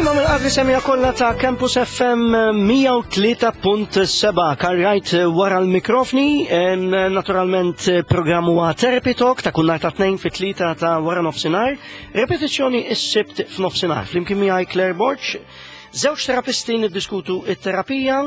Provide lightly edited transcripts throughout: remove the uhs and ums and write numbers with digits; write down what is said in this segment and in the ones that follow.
Tajba mill-qadri semija kollha ta' Campus FM 103.7 karrajt wara l-mikrofni, naturalment programm huwa Therapy Talk ta' kull nhar ta' tnejn fit-tlieta ta' wara nofsinhar, repetizzjoni s-sibt f'nofsinhar. Flimkien miegħi Claire Borg, żewġ terapisti niddiskutu it-terapija,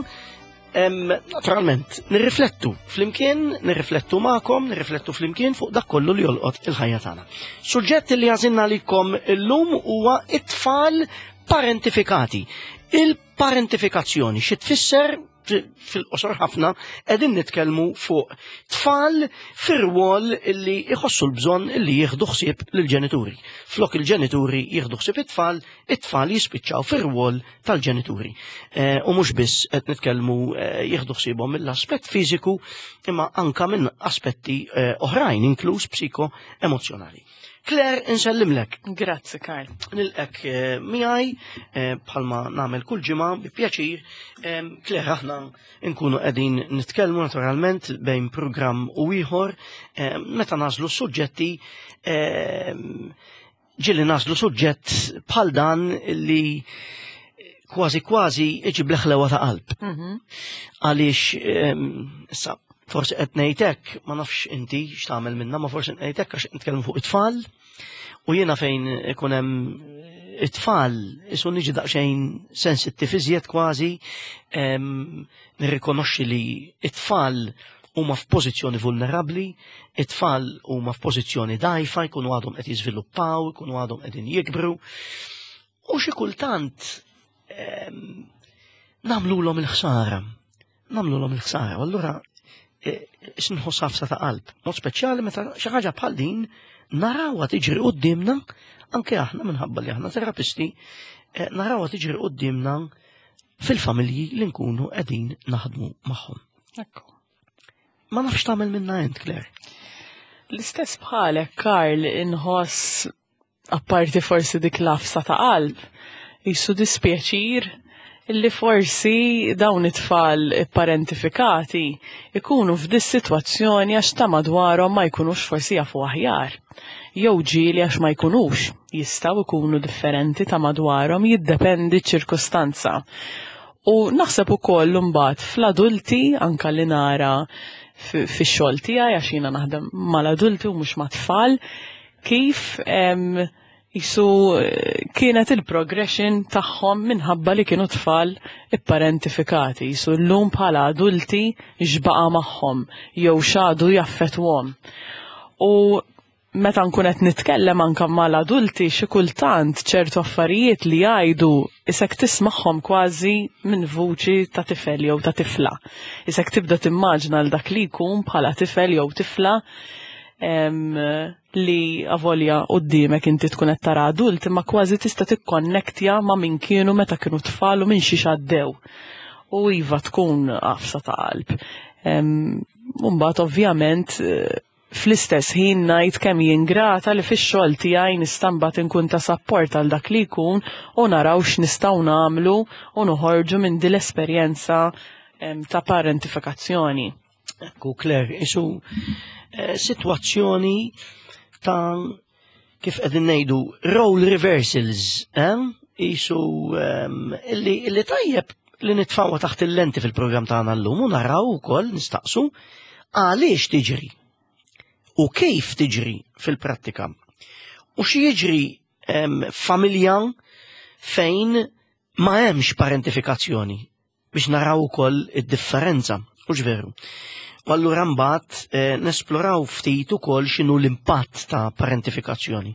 Naturalment, nirriflettu flimkien, nirriflettu magħkom, nirriflettu flimkien fuq dak kollu li jolqot il-ħajja tagħna. Suġġett li għażilna għalikom illum huwa it-tfal parentifikati. Il-parentifikazzjoni xi tfisser fil-qosor ħafna qegħdin nitkellmu fuq tfal fir-rwol li jħossu l-bżonn li jieħdu ħsieb lill-ġenituri. Flok il-ġenituri jieħdu ħsieb it-tfal, it-tfal jispiċċaw fir-rwol tal-ġenituri. Eh, u mhux biss qed nitkellmu eh, jieħdu ħsiebhom mill-aspett fiżiku imma anka minn aspetti eh, oħrajn inkluż psiko-emozzjonali. Claire, insellimlek. Grazzi, Karl. Nilqek miegħi bħalma nagħmel kull ġimgħa bi pjaċir. Claire, aħna nkunu qegħdin nitkellmu naturalment bejn programm u ieħor meta nażlu suġġetti Ġieli naslu suġġett bħal dan li kważi kważi iġib l-ħlewa ta' qalb. Mhm. Għaliex, issa, forsi qed ngħidlek, ma nafx inti x'tagħmel minna, ma forsi ngħidlek għax nitkellmu fuq it-tfal u jiena fejn ikun hemm it-tfal isu niġi daqsxejn sensittiv iżjed kważi nirrikonoxxi li it-tfal huma f'pożizzjoni vulnerabbli, it-tfal huma f'pożizzjoni dgħajfa, jkunu għadhom qed jiżviluppaw, jkunu għadhom qegħdin jikbru. U xi kultant ehm, nagħmlulhom il-ħsara. Nagħmlulhom il-ħsara. U allura e, nħoss ħafsa ta' qalb. Mod speċjali meta xi ħaġa bħal din narawha tiġri qudiemna anke aħna minħabba li aħna terapisti e, narawha tiġri qudiemna fil-familji li nkunu qegħdin naħdmu magħhom. Ekku. Ma nafx tagħmel minna int, Claire. L-istess bħalek, Karl, inħoss apparti forsi dik lafsa ta' qalb, jisu dispjaċir illi forsi dawn it-tfal parentifikati ikunu f'dis sitwazzjoni għax ta' madwarhom ma jkunux forsi jafu aħjar. Jew ġieli għax ma jkunux jistgħu jkunu differenti ta' madwarhom jiddependi ċ-ċirkustanza. U naħseb ukoll imbagħad fl-adulti anka li nara fix-xogħol tiegħi għax jiena naħdem mal-adulti u mhux mat-tfal, kif jisu eh, kienet il-progression tagħhom minħabba li kienu tfal ipparentifikati, jisu llum bħala adulti x'baqa' magħhom jew x'għadu jaffettwhom. U meta nkun qed nitkellem anke mal-adulti xi kultant ċertu affarijiet li jgħidu isek tismagħhom kważi minn vuċi ta' tifel jew ta' tifla. Isek tibda timmaġna l dak li jkun bħala tifel jew tifla li avolja quddiemek inti tkun qed tara adult imma kważi tista' tikkonnektja ma' min kienu meta kienu tfal u minn xiex għaddew. U iva tkun għafsa ta' qalb. Mbagħad ovvjament Fl-istess ħin ngħid kemm jien grata li fix-xogħol tiegħi nista' mbagħad inkun ta' sapport għal dak li jkun u naraw x'nistgħu nagħmlu u noħorġu minn din l-esperjenza ta' parentifikazzjoni. Ekku, Claire, isu eh, sitwazzjoni ta' kif qegħdin ngħidu role reversals, eh? Isu ehm, illi, illi tajjeb li nitfawha taħt il-lenti fil-programm tagħna llum u naraw ukoll nistaqsu għaliex tiġri u kif tiġri fil-prattika. U xi jiġri ehm, familja fejn ma hemmx parentifikazzjoni biex naraw ukoll id-differenza, hux veru. U allura mbagħad eh, nesploraw ftit ukoll x'inhu l-impatt ta' parentifikazzjoni.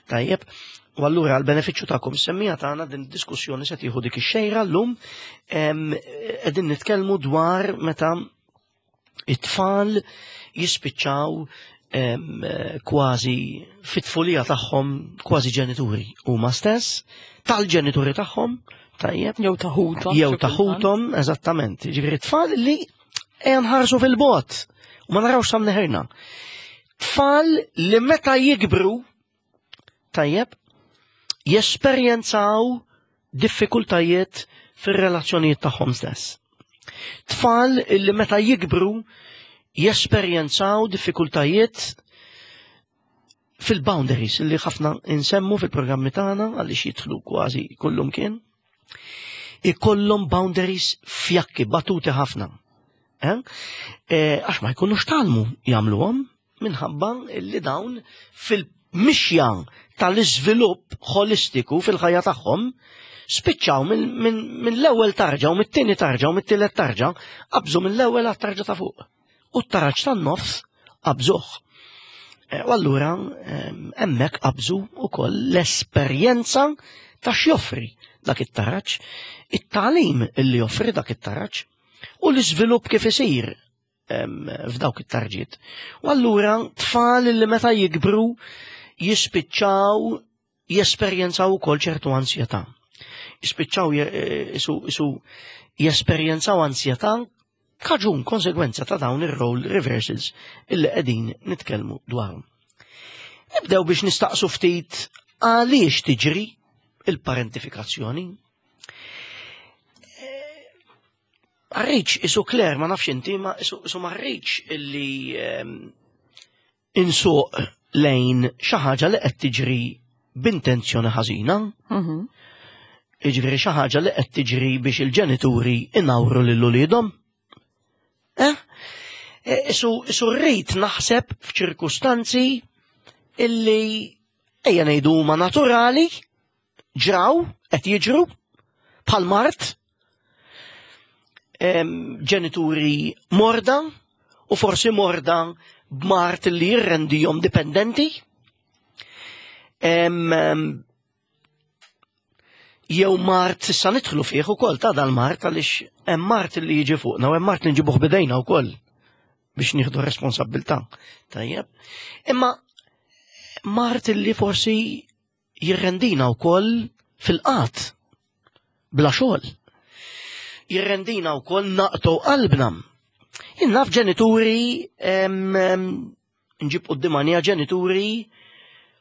Tajjeb, u allura għal benefiċċju tagħkom semmija tagħna din id-diskussjoni se tieħu dik ix-xejra llum qegħdin nitkellmu dwar meta it-tfal jispiċċaw kważi fit-tfulija tagħhom kważi ġenituri huma stess, tal-ġenituri tagħhom, tajjeb. Jew taħutom. Jew taħutom, eżattament. Ġifieri tfal li ejja nħarsu fil-bot u ma narawx sam neħerna. Tfal li meta jikbru tajjeb, jesperjenzaw diffikultajiet fir-relazzjonijiet tagħhom stess. Tfal li meta jikbru jesperjenzaw diffikultajiet fil-boundaries li ħafna insemmu fil-programmi tagħna għaliex jidħlu kważi kullum kien, ikollhom boundaries fjakki, batuti ħafna. Eh? eh, għax ma jkunux talmu jagħmluhom minħabba li dawn fil-mixja tal-iżvilupp ħolistiku fil-ħajja tagħhom spiċċaw minn l-ewwel tarġa u mit-tieni tarġa u mit-tielet tarġa qabżu mill-ewwel għat-tarġa ta' fuq. U t-taraġ tan-nofs qabżuh. Eh, u allura hemmhekk qabżu wkoll l-esperjenza ta' x'joffri dak it-taraġ, it-tagħlim li joffri dak it-taraġ u l-iżvilupp kif isir f'dawk it-tarġiet. U allura tfal li meta jikbru jispiċċaw jesperjenzaw ukoll ċertu ansjetà. Jispiċċaw eh, isu jesperjenzaw ansjetà kaġun konsegwenza ta' dawn ir-role reversals illi qegħdin nitkellmu dwarhom. Nibdew biex nistaqsu ftit għaliex tiġri il-parentifikazzjoni. Marriċ isu Kler, ma nafx inti, ma isu marriċ illi ehm, insuq lejn xi ħaġa li qed tiġri b'intenzjoni ħażina. Mhm. Jiġifieri xi ħaġa li qed tiġri biex il-ġenituri inawru lil uliedhom. Eh? E, isu, isu rrid naħseb f'ċirkustanzi illi ejja ngħidu huma naturali ġraw, qed jiġru, bħal mart, ġenituri morda u forsi morda b'mart li jirrendihom dipendenti. Jew mart issa nidħlu fih ukoll ta' dal-mart għaliex hemm mart li jiġi fuqna u hemm mart li nġibuh bidejna wkoll biex nieħdu responsabbiltà. Tajjeb. Imma mart li forsi jirrendina wkoll fil-qat bla xogħol. Jirrendina wkoll naqtu qalbna. Jien naf ġenituri nġib quddiem għanija ġenituri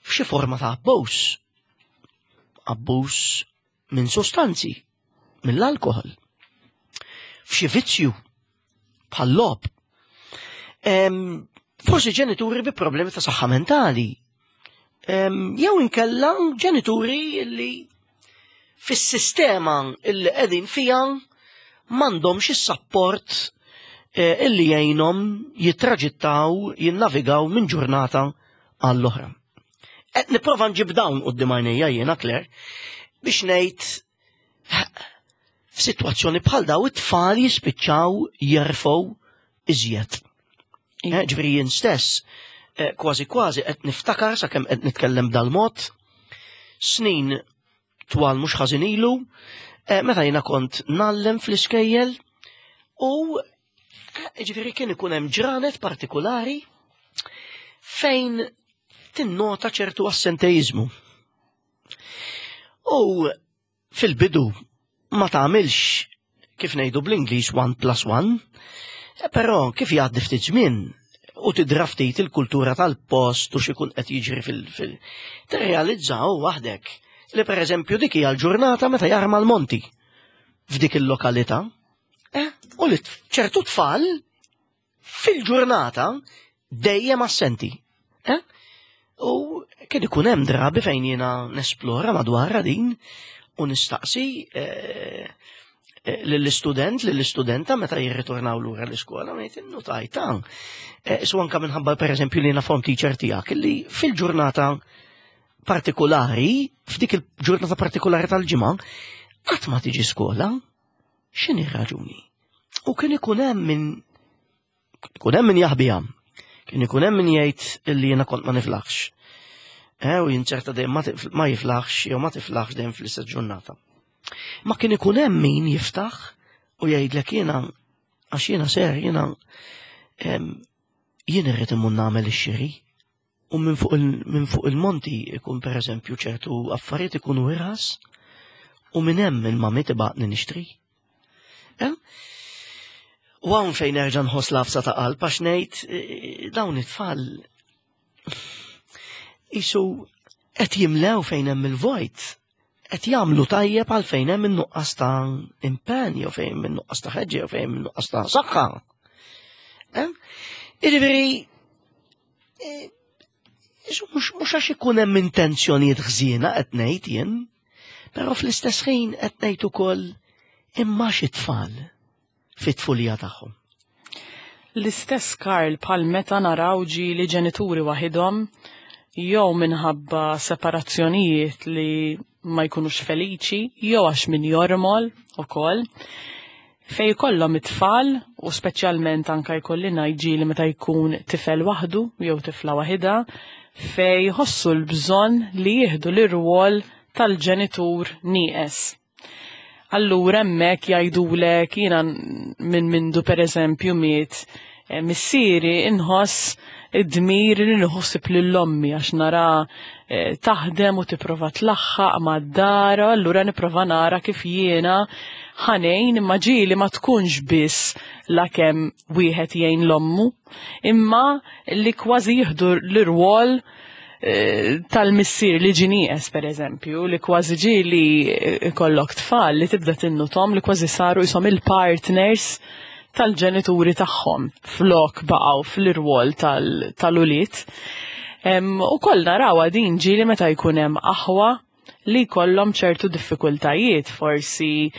f'xi forma ta' abbuż. Abbuż minn sostanzi, mill-alkohol. F'xi vizzju bħal lob. Forsi ġenituri bi problemi ta' saħħa mentali. Jew inkella ġenituri li fis-sistema illi qegħdin fija m'għandhomx is-sapport eh, illi jgħinhom jittraġittaw, jinnavigaw minn ġurnata għall-oħra. Qed nipprova nġib dawn quddiem għajnejja jiena Claire biex ngħid f'sitwazzjoni bħal daw it-tfal jispiċċaw jerfgħu iżjed. Eh, ġifieri jien stess eh, kważi kważi qed niftakar sakemm qed nitkellem dal-mod snin twal mhux ħażin ilu, eh, meta jiena kont nallem fl-iskejjel u ġifieri kien ikun hemm ġranet partikulari fejn tinnota ċertu assenteizmu. U fil-bidu ma tagħmilx kif ngħidu bl-Ingliż one plus one, eh, però kif jgħaddi ftit żmien u tidra ftit il-kultura tal-post u x'ikun qed jiġri fil-fil. Tirrealizzaw waħdek li pereżempju dik hija l-ġurnata meta jarma l-monti f'dik il-lokalità. Eh, u li ċertu tfal fil-ġurnata dejjem assenti. Eh? U kien ikun hemm drabi fejn jiena nesplora madwar din u nistaqsi eh, eh, lill-istudent, lill-istudenta meta jirritornaw lura l-iskola, ngħid innutajta. Eh, su anka minħabba pereżempju li jiena form teacher tiegħek li fil-ġurnata partikolari, f'dik il-ġurnata partikolari tal-ġimgħa, qatt ma tiġi skola. X'inhi r-raġuni? U kien ikun hemm min ikun hemm min jaħbiha. Kien ikun hemm min jgħid illi jiena kont ma niflaħx. Eh, u jinċerta dejjem ma jiflaħx jew ma tiflaħx dejjem fl-istess ġurnata. Ma kien ikun hemm min jiftaħ u jgħidlek jiena għax jiena ser jiena jien irrid imur nagħmel ix-xiri. U minn fuq il, fuq il-monti ikun per eżempju ċertu affarijiet ikunu irħas u minn hemm il-mami tibgħatni nixtri. Eh? U hawn fejn nerġa' nħoss lafsa ta' qalb għax ngħid eh, dawn it-tfal isu qed jimlew fejn hemm il-vojt qed jagħmlu tajjeb għal fejn hemm in-nuqqas ta' impenn jew fejn hemm in-nuqqas ta' ħeġġa jew fejn hemm in-nuqqas ta' saħħa. Eh? Jiġifieri eh, Mhux għax ikun hemm intenzjonijiet ħżiena qed ngħid jien, però fl-istess ħin qed ngħid ukoll imma xi tfal fit-tfulija tagħhom. L-istess Karl bħal meta naraw ġieli ġenituri waħidhom jew minħabba separazzjonijiet li ma jkunux feliċi jew għax min jormol ukoll fej kollhom it-tfal u speċjalment anka jkolli ngħid ġieli meta jkun tifel waħdu jew tifla waħidha fej jħossu l-bżonn li jieħdu l-irwol tal-ġenitur nieqes. Allura hemmhekk jgħidulek jiena minn mindu pereżempju miet eh, missieri inħoss id-dmir li nħossib lil ommi għax nara eh, taħdem u tipprova tlaħħaq mad-dar, allura nipprova nara kif jiena ħanejn imma ġieli ma tkunx biss lakemm wieħed jgħin l-ommu, imma li kważi jieħdu l-irwol eh, tal-missier li ġie nieqes per eżempju, li kważi ġieli ikollok tfal li tibda tinnutom li kważi saru jisom il-partners tal-ġenituri tagħhom flok baqgħu fl-irwol tal-ulied. U koll narawha din ġieli meta jkun hemm aħwa li jkollhom ċertu diffikultajiet, forsi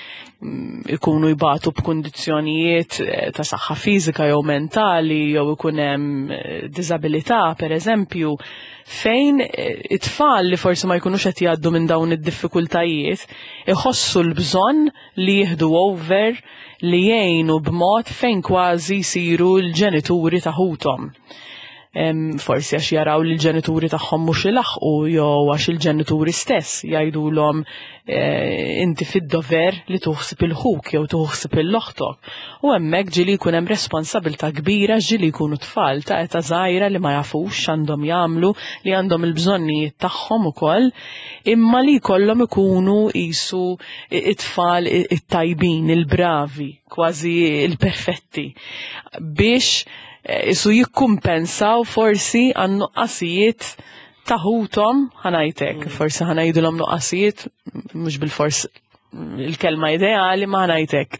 ikunu jbatu b'kundizzjonijiet eh, ta' saħħa fiżika jew mentali jew ikun hemm eh, diżabilità pereżempju, fejn eh, it-tfal li forsi ma jkunux qed jgħaddu minn dawn id-diffikultajiet iħossu l-bżonn li jieħdu over li jgħinu b'mod fejn kważi jsiru l-ġenituri ta' ħuthom. Forsi għax jaraw li l-ġenituri tagħhom mhux ilaħqu jew għax il-ġenituri stess jgħidulhom eh, inti fid-dover li tuħsib il-ħuk jew tuħsib il-oħtok. U hemmhekk ġieli jkun hemm responsabilità kbira ġieli jkunu tfal ta' età żgħira li ma jafux x'għandhom jagħmlu, li għandhom il-bżonnijiet tagħhom ukoll, imma li jkollhom ikunu qisu it-tfal it-tajbin, il-bravi, kważi il-perfetti, biex eh, isu jikkumpensaw forsi għan nuqqasijiet ta' ħuthom ħanajtek, forsi ħanajdilhom nuqqasijiet, mhux bil-fors il-kelma ideali ma ħanajtek.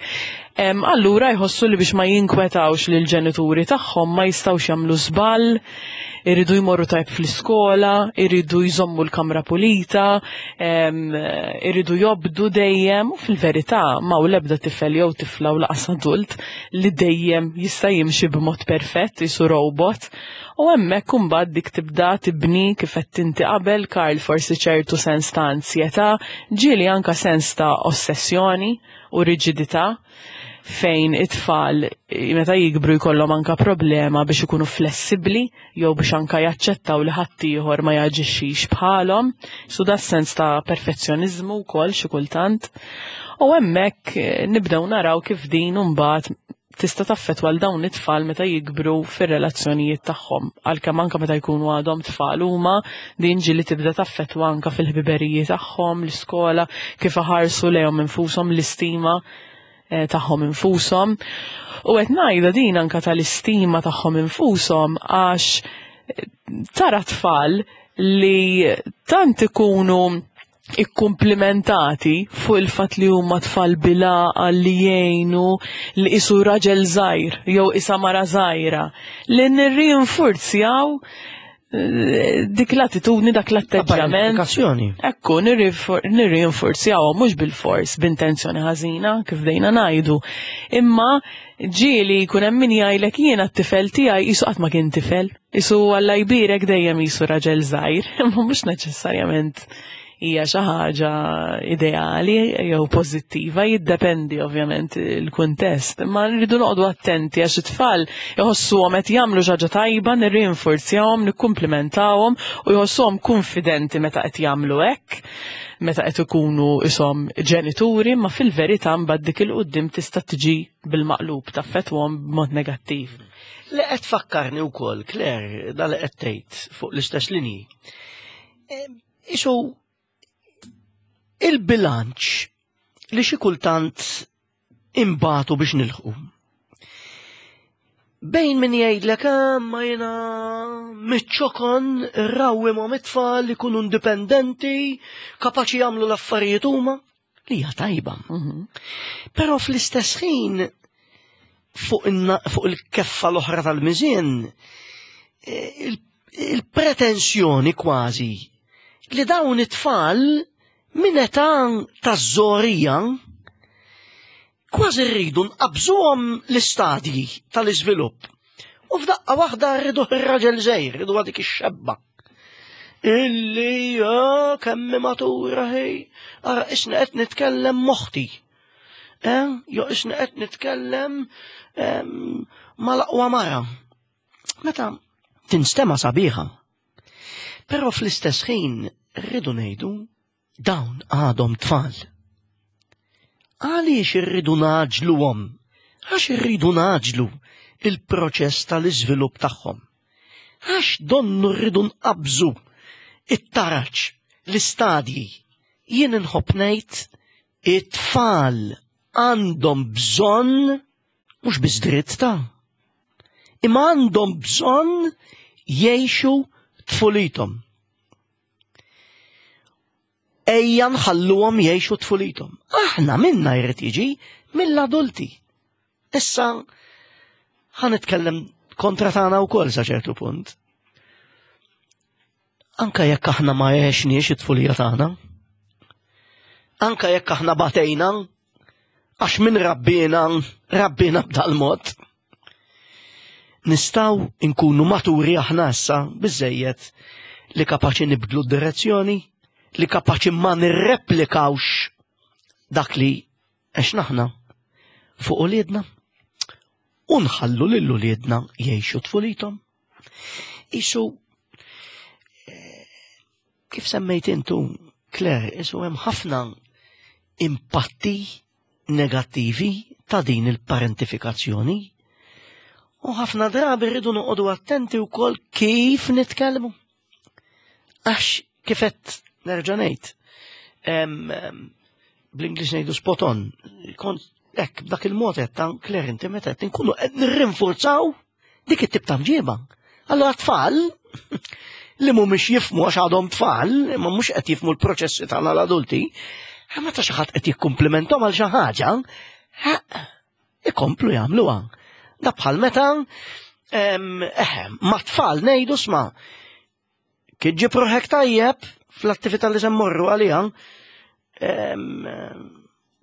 Allura jħossu li biex ma jinkwetawx lil ġenituri tagħhom ma jistgħux jagħmlu żball, iridu jmorru tajb fl-iskola, iridu jżommu l-kamra pulita, iridu jobdu dejjem u fil-verità ma hu l-ebda tifel jew tifla u laqas adult li dejjem jista' jimxi b'mod perfett jisu robot. U hemmhekk imbagħad dik tibda tibni kif qed inti qabel Karl forsi ċertu sens ta' ansjetà, ġieli anka sens ta' ossessjoni u riġidità fejn it-tfal meta jikbru jkollhom anka problema biex ikunu flessibbli jew biex anka jaċċettaw li ħaddieħor ma jaġixxix bħalhom. Su da sens ta' perfezzjoniżmu wkoll xi kultant. U hemmhekk eh, nibdew naraw kif din imbagħad tista' taffettwa l dawn it-tfal meta jikbru fir-relazzjonijiet tagħhom. Għalkemm anke meta jkunu għadhom tfal huma din ġieli tibda taffettwa anke fil-ħbiberiji tagħhom, l-iskola, kif iħarsu lejhom infushom, l-istima eh, tagħhom infushom. U qed ngħidha din anke tal-istima tagħhom infushom għax eh, tara tfal li tant ikunu ikkumplimentati fuq il-fatt li huma tfal bil-għaqal li jgħinu li qisu raġel żgħir jew isa mara żgħira li nirrinfurzjaw eh, dik l-attitudni, dak l-atteġġjament. Ekku, nirrinforzjawhom mhux bil-fors, b'intenzjoni ħażina, kif dejna ngħidu. Imma ġieli jkun hemm min jgħidlek jiena t-tifel tiegħi qisu qatt ma kien tifel. Isu Alla jbierek dejjem jisu raġel żgħir, imma mhux neċessarjament hija xi ħaġa ideali jew pożittiva, jiddependi ovvjament il-kuntest. Imma rridu noqogħdu attenti għax it-tfal iħossuhom qed jagħmlu xi ħaġa tajba, nirrinforzjahom, nikkumplimentawhom u jħossuhom kunfidenti meta qed jagħmlu hekk, meta qed ikunu ishom ġenituri, ma fil-verità mbagħad dik il-quddiem tista' tiġi bil-maqlub taffettwhom b'mod negattiv. Li qed tfakkarni wkoll, Claire, da li qed tgħid fuq l-istess linji. Isu il-bilanċ li xi kultant imbatu biex nilħu. Bejn min jgħidlek ah, ma jiena miċ-ċokon rawwi ma mit-tfal li kunu indipendenti, kapaċi jagħmlu l-affarijiet huma, li hija tajba. Mhm. Però fl-istess ħin fuq il-keffa l-oħra tal-miżien, eh, Il-pretensjoni kważi li dawn it-tfal minn età taż-żorija kważi rridu nqabżuhom l-istadji tal-iżvilupp. U f'daqqa waħda rridu r-raġel żgħir, rridu dik ix-xebba. Illi ah, kemm matura ħej, ara isna qed nitkellem moħti. Eh, jo isna qed nitkellem mal-aqwa mara. Meta tinstema sabiħa. Però fl-istess ħin rridu ngħidu dawn għadhom tfal. Għaliex irridu naġluhom? Għax irridu naġlu il-proċess tal-iżvilupp tagħhom. Għax donnu rridu nqabżu it-taraġ, l-istadji. Jien inħobb ngħid it-tfal għandhom bżonn mhux biss dritt ta' imma għandhom bżonn jgħixu tfulithom. Ejja nħalluhom jgħixu tfulithom. Aħna minna jrid jiġi mill-adulti. Issa ħa nitkellem kontra tagħna wkoll sa ċertu punt. Anka jekk aħna ma għexniex it-tfulija tagħna, anka jekk aħna batejna, għax minn rabbina, rabbina b'dal-mod. Nistaw inkunu maturi aħna issa biżejjed li kapaċi nibdlu d-direzzjoni, li kapaċi ma nirreplikawx dak li għax naħna fuq uliedna u nħallu lil uliedna jgħixu tfulithom. Isu eh, kif semmejt intu, Claire, isu hemm ħafna impatti negattivi ta' din il-parentifikazzjoni. U ħafna drabi rridu noqogħdu attenti wkoll kif nitkellmu. Għax kifet nerġa' ngħid. Bl-Ingliż ngħidu spot on. Kont hekk b'dak il-mod qed ta' Claire inti meta qed inkunu qed nirrinforzaw dik it-tip ta' mġiba. Allora tfal li mhumiex jifmu għax għadhom tfal, imma mhux qed jifmu l-proċessi tagħna l-adulti, meta xi ħadd qed jikkumplimenthom għal xi ħaġa, ikomplu jagħmluha. Da bħal meta eħe, ma tfal ngħidu sma' kif ġib ruħek tajjeb fl-attività li se mmorru għaliha,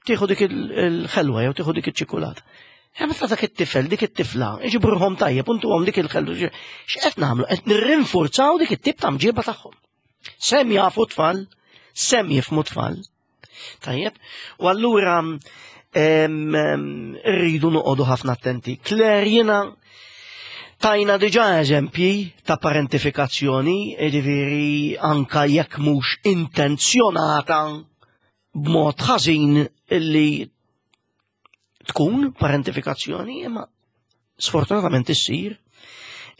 tieħu dik il-ħelwa jew tieħu dik iċ-ċikulata. Hemm meta dak it-tifel, dik it-tifla, iġibu ruħhom tajjeb u ntuhom dik il-ħelwa. X'qed nagħmlu? Qed nirrinforzaw dik it-tip ta' mġiba tagħhom. Sem jafu tfal, sem jifmu tfal. Tajjeb, u allura rridu noqogħdu ħafna attenti. Claire jiena tajna diġà eżempji ta' parentifikazzjoni, jiġifieri anka jekk mhux intenzjonata b'mod ħażin illi tkun parentifikazzjoni, imma sfortunatament issir.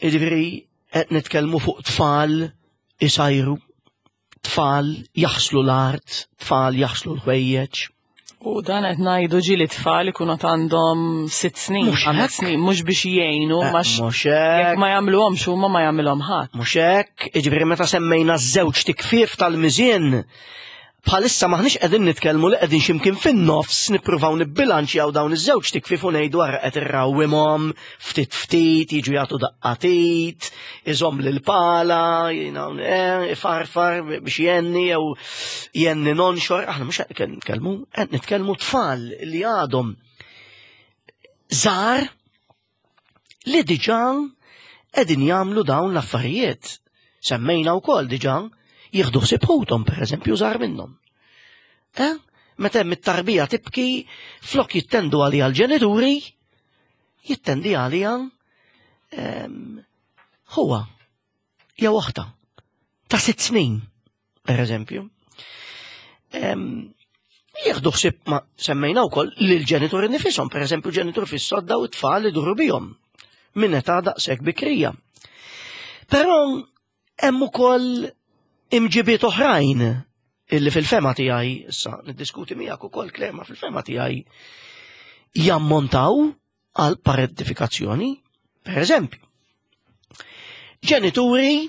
Jiġifieri qed nitkellmu fuq tfal isajru tfal jaħslu l-art, tfal jaħslu l-ħwejjeġ. U dan qed ngħidu ġieli tfal ikunu għandhom sitt snin, ħames snin, mhux biex jgħinu, eh, mhux hekk ma jagħmluhomx huma ma jagħmilhom ħadd. Mhux hekk, jiġifieri meta semmejna żewġ tikfief tal-miżien, bħalissa maħniex qegħdin nitkellmu li qegħdin x'imkien fin-nofs nippruvaw nibbilanċjaw dawn iż-żewġ tikfif u ngħidu ara qed irrawwimhom ftit ftit jiġu jagħtu daqqatit, iżomm lil pala, eh, ifarfar biex jenni jew jenni nonxor, aħna mhux qed nitkellmu, qed nitkellmu tfal li għadhom żgħar li diġà qegħdin jagħmlu dawn l-affarijiet. Semmejna wkoll diġà jieħdu ħsieb ħuthom pereżempju żgħar minnhom. Eh? Meta hemm it-tarbija tibki, flok jittendu għaliha l-ġenituri, jittendi għaliha ehm, huwa jew oħta ta' sitt snin. per eżempju, jieħdu ħsieb ma semmejna wkoll lil ġenituri nifisom, per eżempju ġenitur fis-sodda u t-tfal iduru bihom minn età daqshekk bikrija. Però hemm ukoll imġibiet oħrajn illi fil-fema tiegħi, issa niddiskuti miegħek ukoll klema fil-fema tiegħi jammontaw għal parentifikazzjoni. Per eżempju, ġenituri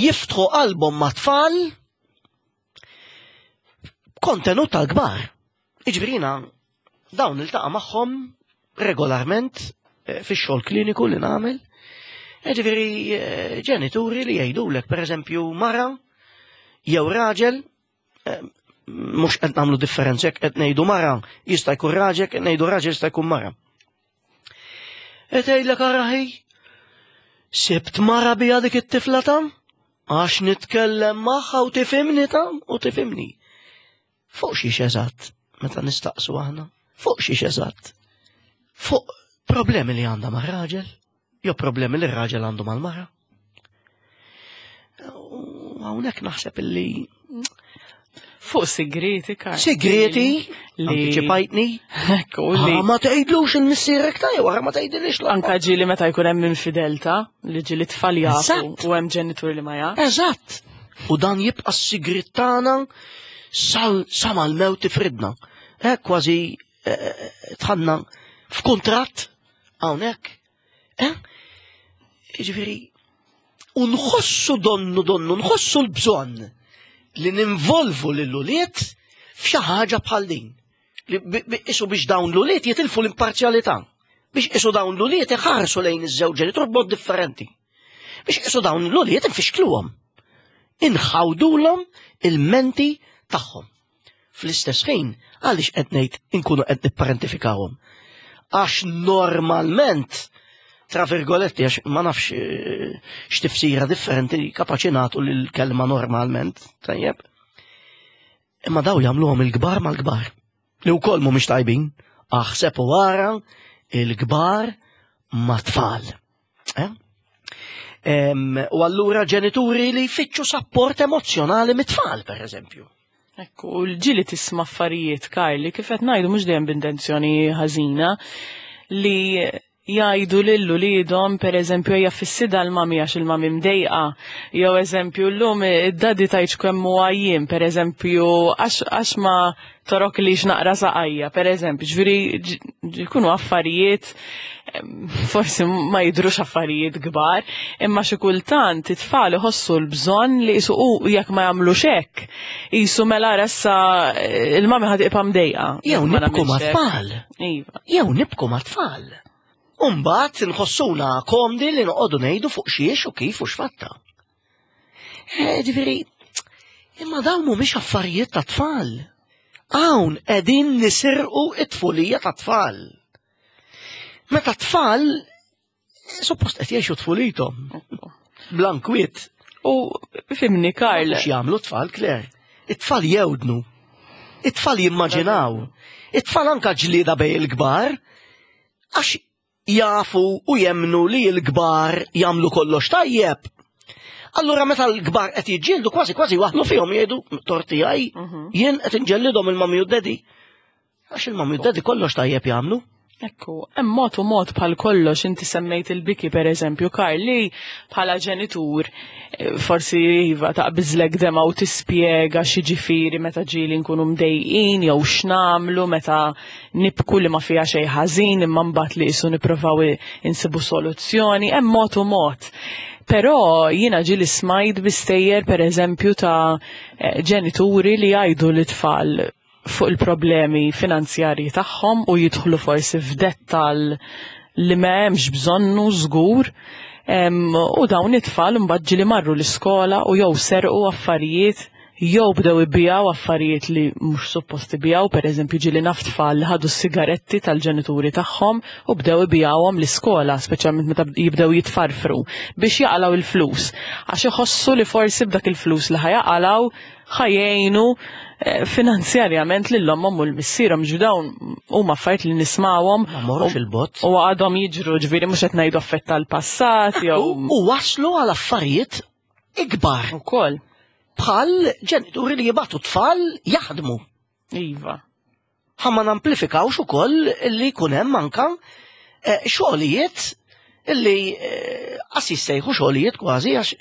jiftħu qalbhom ma' tfal kontenut tal-kbar. Iġbrina dawn iltaqa' magħhom regolarment eh, fix-xogħol kliniku li nagħmel. Ġifieri ġenituri li jgħidulek pereżempju mara jew raġel mhux qed nagħmlu differenza jekk qed ngħidu mara jista' jkun raġel, qed ngħidu raġel jista' jkun mara. Qed tgħidlek araħi, sibt mara bija dik it-tifla ta' għax nitkellem magħha u tifhimni ta' u tifhimni. Fuq xiex eżatt, meta nistaqsu aħna, fuq xiex eżatt? Fuq problemi li għandha mar-raġel, jew problemi li r-raġel għandu mal-mara. U hawnhekk naħseb illi Fuq sigreti, Karl. Sigreti, li antiċipajtni. Ekku, li. Ah, ma tgħidlux il-missierek ta' jew ma tgħidilix l Anka ġieli meta jkun hemm infidelta, li ġieli tfal jafu u hemm ġenitur li ma jaf. Eżatt. U dan jibqa' s-sigriet tagħna sal sa mal-mewt tifridna. Eh, kważi eh, tħanna f'kuntratt hawnhekk. Eh? Jiġifieri, u nħossu donnu donnu, nħossu l-bżonn li ninvolvu lil ulied f'xi ħaġa bħal din. Li isu biex dawn l-ulied jitilfu l-imparzjalità. Biex isu dawn l-ulied iħarsu lejn iż-żewġ ġenitur b'mod differenti. Biex isu dawn l-ulied infixkluhom. Inħawdulhom il-menti tagħhom. Fl-istess ħin, għaliex qed ngħid inkunu qed nipparentifikawhom? Għax normalment, tra virgoletti, għax ma nafx eh, x'tifsira differenti kapaċi nagħtu lill-kelma normalment, tajjeb. Imma daw jagħmluhom il-kbar mal-kbar. Li wkoll mhumiex tajbin. Aħseb u ara il-kbar mat-tfal. Eh? U allura ġenituri li jfittxu sapport emozjonali mit-tfal, per eżempju. Ekku, l-ġili tisma' affarijiet, Karli, kif qed ngħidu mhux dejjem b'intenzjoni ħażina, li jgħidu lil uliedhom pereżempju ejja fissida l-mami għax il-mami mdejqa, jew eżempju llum id-daddy tgħidx kemm hu għajjien, pereżempju għax ma torok li naqra saqajja, pereżempju, ġifieri jkunu affarijiet forsi ma jidrux affarijiet kbar, imma xi kultant it-tfal iħossu l-bżonn li jisu u jekk ma jagħmlux hekk, jisu mela ressa il-mami ħad iqpa' mdejqa. Jew nibku mat-tfal. Iva. Jew nibku mat-tfal. Umbagħad nħossuna komdi li noqogħdu ngħidu fuq xiex u kif u x'fatta. Eh, ġifieri, imma dawn mhumiex affarijiet ta' tfal. Hawn qegħdin nisirqu it-tfulija ta' tfal. Meta tfal suppost qed jgħixu tfulithom. Blankwiet. U fimni Karl. X'jagħmlu tfal, Claire? It-tfal jewdnu. It-tfal jimmaġinaw. It-tfal anka ġlieda bej il-kbar. Għax jafu u jemnu li l-kbar jagħmlu kollox tajjeb. Allura meta l-kbar qed jiġġieldu kważi kważi waħlu fihom jgħidu torti għaj, mhm. jien qed inġellidhom il-mami u d-daddy. Għax il-mami u d-daddy kollox tajjeb jagħmlu. Ekku, hemm mod u mod bħal kollox inti semmejt il-biki per eżempju, Karl, li bħala ġenitur eh, forsi iva taqbiżlek dema u tispjega xi ġifieri meta ġieli nkunu mdejqin jew x'namlu meta nibku li ma fiha xejn ħażin imma mbagħad li qisu nippruvaw insibu soluzzjoni, hemm mod u mod. Però jiena ġieli smajt bi stejjer per eżempju ta' eh, ġenituri li jgħidu lit-tfal fuq il-problemi finanzjarji tagħhom u jidħlu forsi f'dettal li ma hemmx bżonnu żgur. U dawn it-tfal imbagħad ġieli marru l-iskola u jew serqu affarijiet jew bdew ibijaw affarijiet li mhux suppost ibijaw, pereżempju ġieli naf tfal li ħadu s-sigaretti tal-ġenituri tagħhom u bdew ibijawhom l-iskola, speċjalment meta jibdew jitfarfru biex jaqalgħu il-flus. Għax iħossu li forsi b'dak il-flus li ħa jaqalgħu ħa jgħinu eh, finanzjarjament lil ommhom u l-missierhom ġu dawn huma affarijiet li nismawhom Ma morrux il-bot. u għadhom jiġru ġifieri mhux qed ngħidu affett tal-passat jew U waslu għal affarijiet ikbar ukoll. bħal ġenituri li jibagħtu tfal jaħdmu. Iva. Ħa ma namplifikawx ukoll li jkun hemm anka eh, xogħlijiet illi eh, qas jissejħu xogħlijiet kważi għax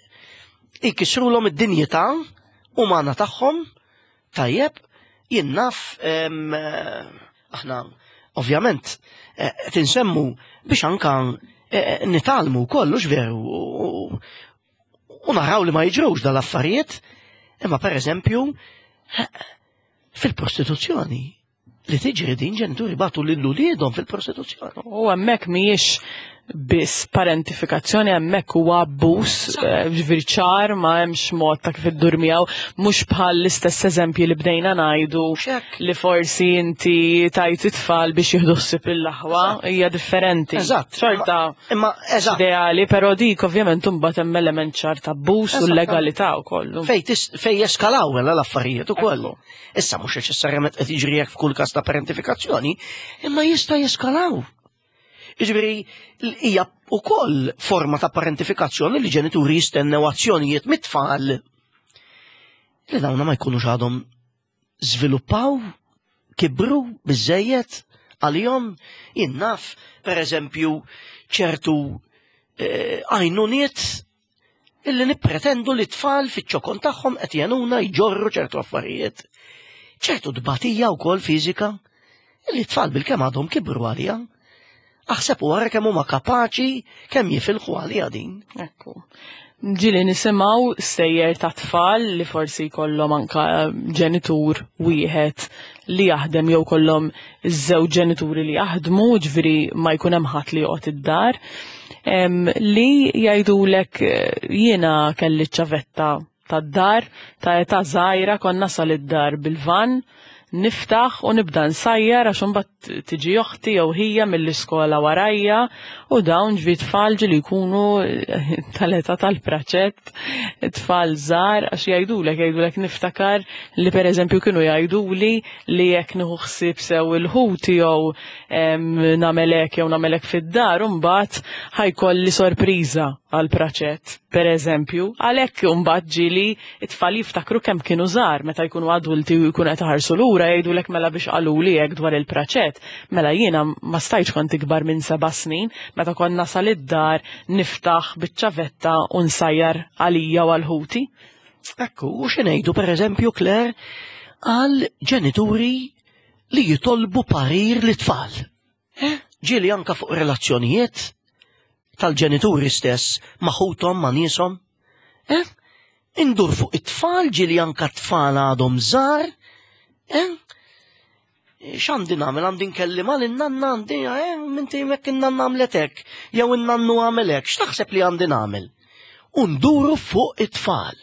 ikissrulhom id-dinjità umana tagħhom tajjeb jien naf em, eh, aħna ovvjament qed insemmu biex anka nitgħallmu kollox veru u- u naraw li ma jiġrux dal-affarijiet, imma per eżempju fil-prostituzzjoni li tiġri din ġenituri bagħtu lil uliedhom fil-prostituzzjoni. U hemmhekk mhijiex biss parentifikazzjoni, hemmhekk huwa abbuż, ġifieri ċar ma hemmx mod ta' kif iddur miegħu, mhux bħal l-istess eżempji li bdejna ngħidu li forsi inti tajt it-tfal biex jieħdu ħsieb lill-aħwa, hija differenti. Eżatt. Xorta Imma eżatt. ideali, però dik ovvjament imbagħad hemm element ċar ta' abbuż u legalità wkoll. Fej jeskalaw mela l-affarijiet ukoll. Issa mhux neċessarjament qed jiġri hekk f'kull każ ta' parentifikazzjoni, imma jista' jeskalaw. Jiġifieri hija wkoll forma ta' parentifikazzjoni li ġenituri jistennew azzjonijiet mit-tfal li dawna ma jkunux għadhom żviluppaw, kibru biżejjed għalihom. Jien naf, per eżempju, ċertu għajnuniet illi nippretendu li tfal fiċ-ċokon tagħhom qed jenuna jġorru ċertu affarijiet. Ċertu tbatija wkoll fiżika illi tfal bil-kemm għadhom kibru għalija. Aħseb u wara kemm huma kapaċi kemm jifilħu għalija din. Ekku. Ġieli nisimgħu stejjer ta' tfal li forsi jkollhom anka ġenitur wieħed li jaħdem jew kollhom iż-żewġ ġenituri li jaħdmu, ġifieri ma jkun hemm ħadd li joqgħod id-dar, li jgħidulek jiena kelli ċavetta tad-dar ta' età żgħira konna nasal id-dar bil-van, niftaħ u nibda nsajjar għax imbagħad tiġi oħti jew ħija mill-iskola warajja, u dawn ġvi tfal ġieli jkunu tal-età tal-praċett, tfal żgħar, għax jgħidulek niftakar li pereżempju kienu jgħiduli li jekk nieħu ħsieb sew il-ħuti jew nagħmel hekk jew nagħmel hekk fid-dar, imbagħad ħajkolli sorpriża għall-praċett, pereżempju. Għalhekk imbagħad ġieli it-tfal jiftakru kemm kienu żgħar meta jkunu adulti u jkunu qed iħarsu lura jgħidulek mela biex qaluli hekk dwar il-praċett. Mela jiena ma stajtx kont ikbar minn 7 snin meta kont nasal id-dar niftaħ biċ-ċavetta u nsajjar għalija u għal ħuti. Ekku, u xi ngħidu pereżempju, Claire, għal ġenituri li jitolbu parir lit-tfal. Ġieli anka fuq relazzjonijiet tal-ġenituri stess ma' ħuthom, ma' nieshom. Indur fuq it-tfal, ġieli anka tfal għadhom żgħar. X'għandi nagħmel? Għandi nkellima lil nanna, għandi, minti jekk in-nanna għamlet hekk, jew in-nannu għamel hekk, x'taħseb li għandi nagħmel? U nduru fuq it-tfal.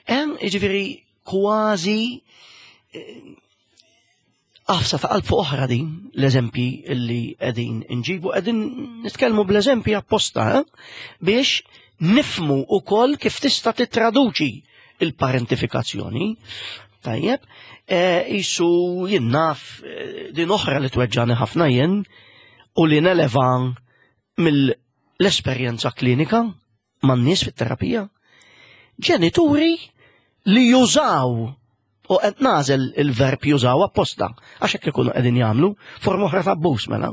Jiġifieri kważi għafsa ta' qalb fuq oħra din l-eżempji li qegħdin inġibu, qegħdin nitkellmu bl-eżempji apposta biex nifmu ukoll kif tista' titraduċi il-parentifikazzjoni. Tajjeb, jisu jien naf din oħra li tweġġani ħafna jien u li neleva mill-esperjenza klinika man-nies fit-terapija. Ġenituri li jużaw, u qed nażel il-verb jużaw apposta, għax hekk ikunu qegħdin jagħmlu, forma oħra ta' abbuż mela,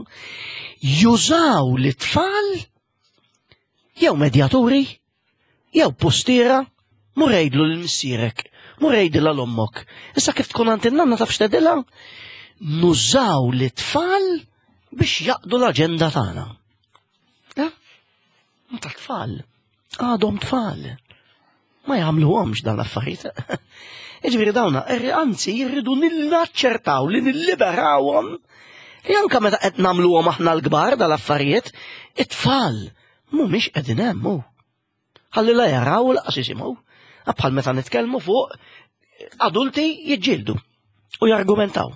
jużaw l-tfal jew medjaturi jew postiera, mur għidlu lil missierek, mur għidilha l ommok. Issa kif tkun għand in-nanna taf x'tgħidilha? Nużaw l-tfal biex jaqdu l-aġenda tagħna. Ta' tfal, għadhom tfal. Ma jagħmluhomx dan l-affarijiet. Jiġifieri dawna, anzi jirridu naċċertaw li nilliberawhom li anke meta qed nagħmluhom aħna l-kbar dal-affarijiet, it-tfal mhumiex qegħdin hemm hu. Ħalli la jaraw u laqas jisimgħu. Bħal meta nitkellmu fuq adulti jiġġieldu u jargumentaw.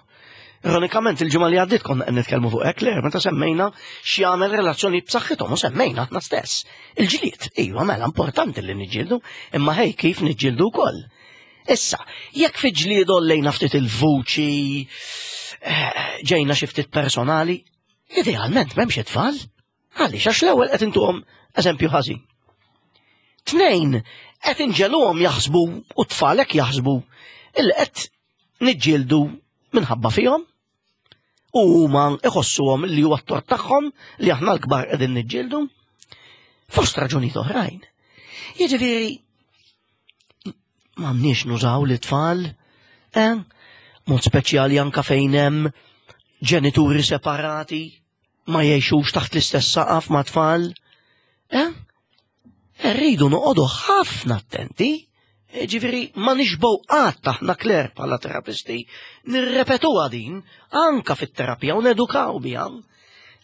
Ironikament il-ġimgħa li għaddiet konna qed nitkellmu fuq hekk, Claire, meta semmejna x'jagħmel relazzjoni b'saħħithom u semmejna aħna stess. Il-ġlied, iva mela importanti li niġġieldu, imma ħej kif niġġieldu wkoll. Issa, jekk fi ġlied ollejna ftit il-vuċi, ġejna xi ftit personali, idealment m'hemmx it-tfal. Għaliex? Għax l-ewwel qed intuhom eżempju ħażin. 2, qed inġeluhom jaħsbu u t-tfal hekk jaħsbu illi qed niġġieldu minħabba fihom u huma iħossuhom li huwa t-tort tagħhom li aħna l-kbar qegħdin niġġieldu fost raġunijiet oħrajn. Jiġifieri m'għandniex nużaw l-tfal? Mod speċjali anka fejn hemm ġenituri separati ma jgħixux taħt l-istess saqaf ma' tfal. Rridu noqogħdu ħafna attenti. Ġifieri ma nixbgħu qatt aħna Claire bħala terapisti nirrepetuha din anka fit-terapija u nedukaw biha.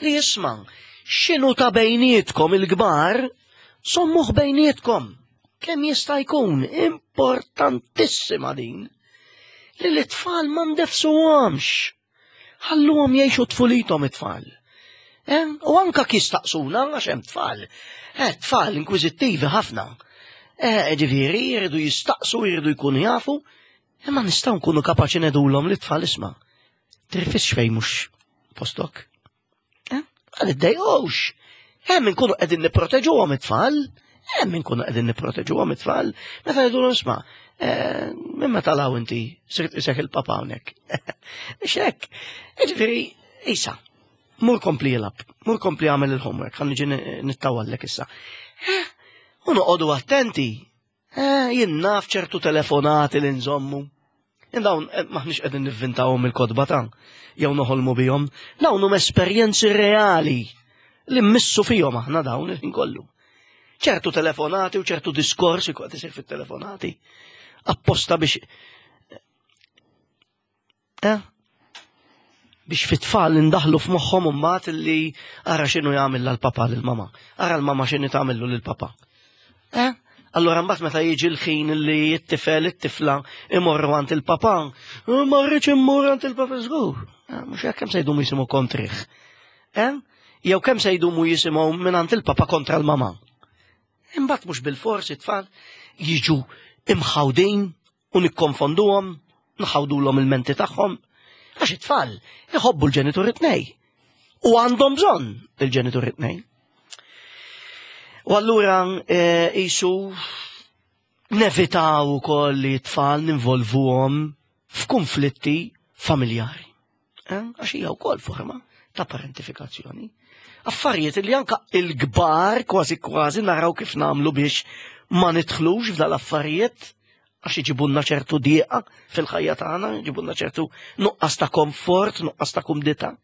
Li jisma' X'inhu ta' bejnietkom il-kbar, żommuh bejnietkom. Kemm jista' jkun importantissima din li l-tfal ma ndefsuhomx. Ħalluhom jgħixu tfulithom it-tfal. Eh? U anka kistaqsuna għax hemm tfal. Eh, tfal inkwiżittivi ħafna. Eh, ġifieri jridu jistaqsu, jridu jkunu jafu, imma nistgħu nkunu kapaċi nedulhom li tfal isma'. Tirfisx fejn mhux postok. Eh? Għal iddejqux. Hemm inkunu qegħdin nipproteġuhom it-tfal, hemm inkunu qegħdin nipproteġuhom it-tfal, meta jgħidulhom isma' eh, minn meta law inti sirt isek il-papa hawnhekk. Biex hekk. Jiġifieri isa, mur kompli jilgħab, mur kompli għamel il-homework, ħa niġi nittawallek issa. Eh, u noqogħdu attenti Eh, jien naf ċertu telefonati li nżommu. Dawn eh, maħniex qegħdin nivvintawhom il-kotba ta' jew noħolmu bihom. Dawn huma esperjenzi reali li mmissu fihom aħna dawn il-ħin kollu. Ċertu telefonati u ċertu diskorsi qed isir fit-telefonati. Apposta biex Eh? Biex fit-tfal indaħlu f'moħħhom imbagħad li ara x'inhu jagħmel l-papa lil mama Ara l-mama x'inhi tagħmillu lil papa. Eh? Allora mbagħad meta jiġi l-ħin li t-tifel it-tifla imorru għand il-papa, eh, ma rridx immur għand il-papa żgur. Eh, mhux hekk kemm se jdumu jisimgħu kontrih. Eh? Jew kemm se jdumu jisimgħu minn għand il-papa kontra l-mama. Imbagħad mhux bil-fors it-tfal jiġu imħawdin u nikkonfonduhom, nħawdulhom il-menti tagħhom, għax it-tfal iħobbu l-ġenituri tnej u għandhom bżonn il-ġenituri tnej. U allura eh, jisu nevitaw ukoll li t-tfal ninvolvuhom f'konflitti familjari. Eh, għax hija wkoll forma ta' parentifikazzjoni. Affarijiet li anka il-kbar kważi kważi naraw kif nagħmlu biex ma nidħlux f'dal-affarijiet għax iġibunna ċertu dieqa fil-ħajja tagħna, iġibunna ċertu nuqqas ta' komfort, nuqqas ta' kumdità.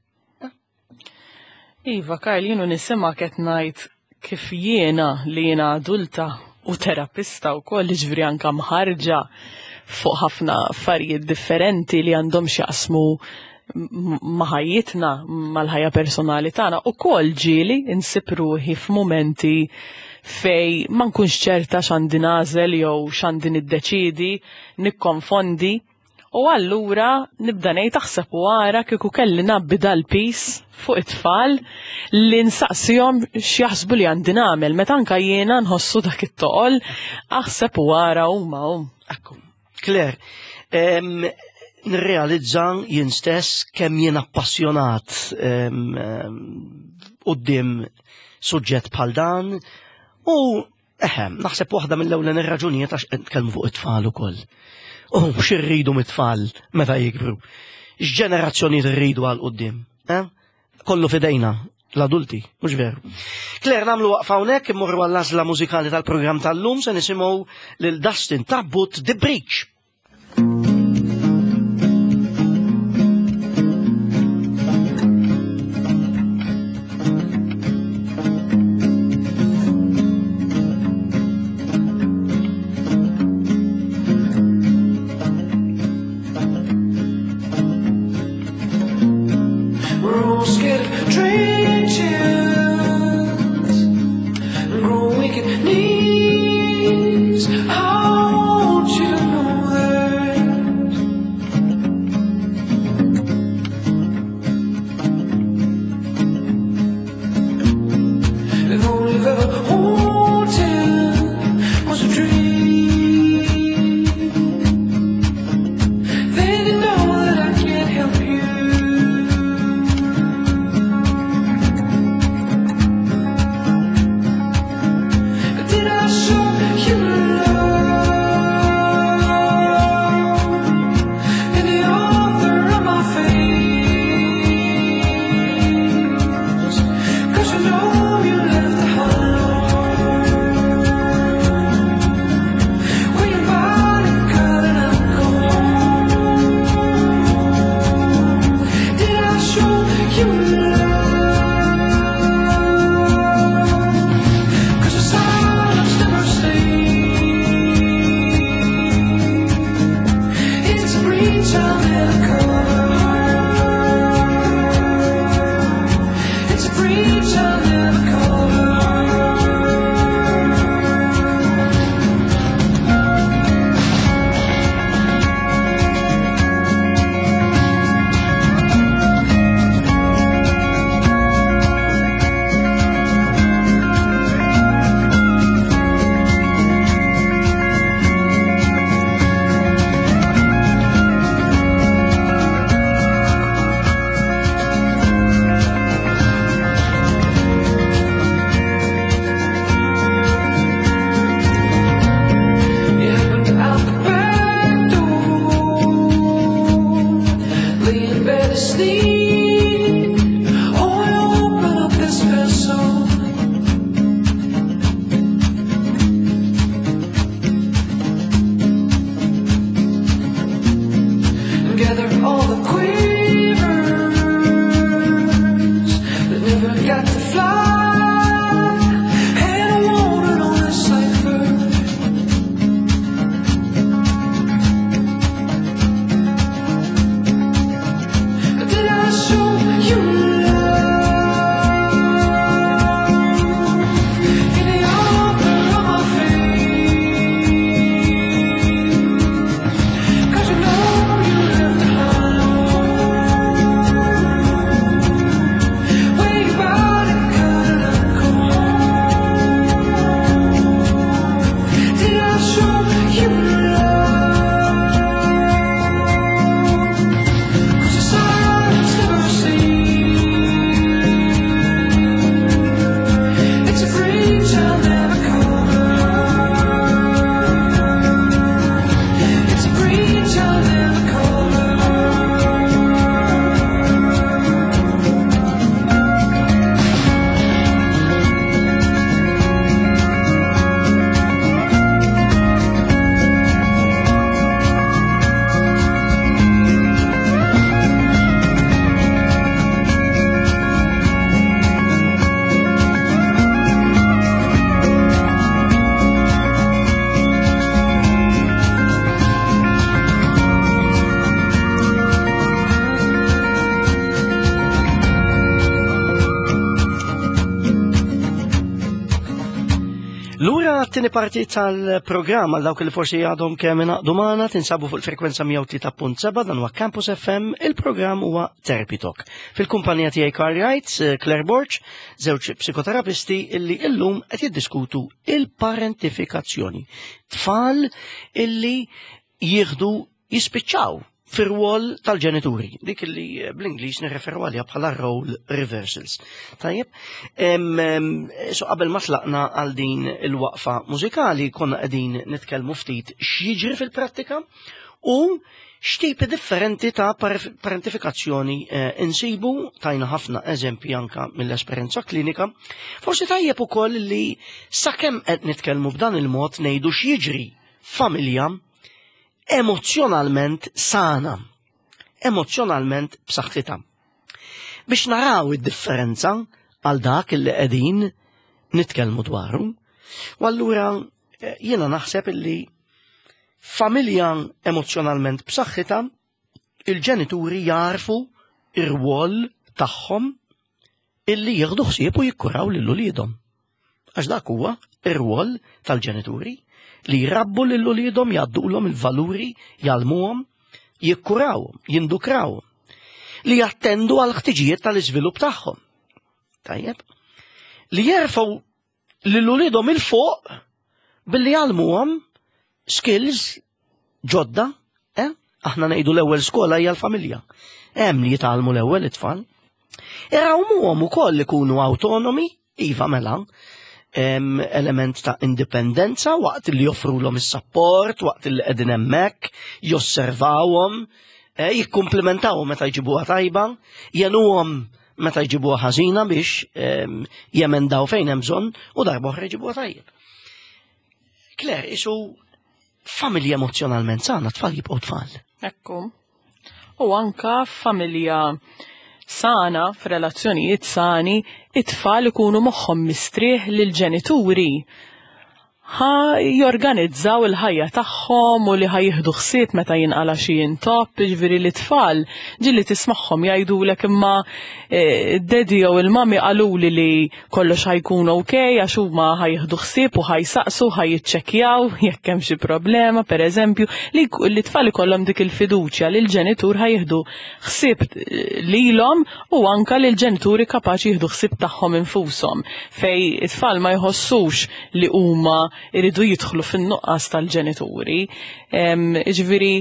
Iva, Karl, jienu nisima qed ngħid kif jiena li jiena adulta u terapista wkoll jiġifieri anke mħarġa fuq ħafna affarijiet differenti li għandhom x'jaqsmu ma' ħajjitna, mal-ħajja personali tagħna, ukoll ġieli insib ruħi f'mumenti fej ma nkunx ċerta x'għandi nagħżel jew x'għandi niddeċiedi, nikkonfondi. U allura nibda ngħid aħseb u ara kieku kelli ngħabbi dal-piż fuq it-tfal li nsaqsihom x'jaħsbu li għandi nagħmel meta anka jiena nħossu dak it-toqol aħseb u ara huma hum. Ekku. Claire, nirrealizza jien stess kemm jien appassjonat quddiem suġġett bħal dan u Eħe, naħseb waħda mill-ewlen ir-raġunijiet għax qed nitkellmu fuq it-tfal ukoll. U x'irridu mit-tfal meta jikbru? X'ġenerazzjonijiet irridu għal quddiem? Eh? Kollu fidejna l-adulti, mhux veru. Claire, nagħmlu waqfa hawnhekk immorru għall-għażla mużikali tal-programm tal-lum se nisimgħu lil Dustin Tabbut The Breach. Lura t-tieni parti tal-programm għal dawk li forsi għadhom kemm ingħaqdu magħna tinsabu fuq il-frekwenza 103.7 dan huwa Campus FM, il-programm huwa Therapy Talk. Fil-kumpanija tiegħi Carl Wright, eh, Claire Borch, żewġ psikoterapisti illi illum qed jiddiskutu il-parentifikazzjoni. Tfal illi jieħdu jispiċċaw fir-rwol tal-ġenituri, dik li eh, bl-Ingliż nirreferu għaliha bħala role reversals. Tajjeb, so qabel ma tlaqna għal din il-waqfa mużikali konna qegħdin nitkellmu ftit x'jiġri fil-prattika u x'tipi differenti ta' parentifikazzjoni eh, insibu tajna ħafna eżempji anka mill-esperjenza klinika. Forsi tajjeb ukoll li sakemm qed nitkellmu b'dan il-mod ngħidu x'jiġri familja emozzjonalment sana, emozzjonalment b'saħħitha. Biex naraw id-differenza għal dak li qegħdin nitkellmu dwaru. U allura eh, jiena naħseb illi familja emozzjonalment b'saħħitha il-ġenituri jarfu ir-rwol tagħhom illi jieħdu ħsieb u jikkuraw lil uliedhom. Għax dak huwa ir-rwol tal-ġenituri li jrabbu lil uliedhom jgħaddulhom il-valuri, jgħallmuhom, jikkurawhom, jindukrawhom, li jattendu għal ħtiġijiet tal-iżvilupp tagħhom. Tajjeb? Li jerfgħu lil uliedhom 'il fuq billi jgħallmuhom skills ġodda, eh? Aħna ngħidu l-ewwel skola hija l-familja. Hemm li jitgħallmu l-ewwel it-tfal. Irawmuhom ukoll ikunu awtonomi, iva mela, element ta' indipendenza waqt li joffrulhom is-sapport, waqt li qegħdin hemmhekk, josservawhom, eh, jikkumplimentawhom meta jġibuha tajba, jenuhom meta jġibuha ħażina biex ehm, jemendaw fejn hemm bżonn u darba oħra jġibuha tajjeb. Claire, isu familja emozjonalment sana, tfal jibqgħu tfal. Ekku. U anka familja sana, f'relazzjonijiet sani, it-tfal ikunu moħħhom mistrieħ lil ġenituri ħa jorganizzaw il-ħajja tagħhom u li ħa jieħdu ħsieb meta jinqala xi intopp, jiġifieri li tfal ġieli tismagħhom jgħidulek imma eh, d-daddy jew il-mami qaluli li kollox ħa jkun ok għax huma ħa jieħdu ħsieb u ħa jsaqsu ħa jiċċekkjaw jekk hemm xi problema pereżempju li li tfal ikollhom dik il-fiduċja li l-ġenitur ħa jieħdu ħsieb eh, lilhom u anka li l-ġenituri kapaċi jieħdu ħsieb tagħhom infushom fej it-tfal ma jħossux li huma jridu jidħlu fin-nuqqas tal-ġenituri. Jiġifieri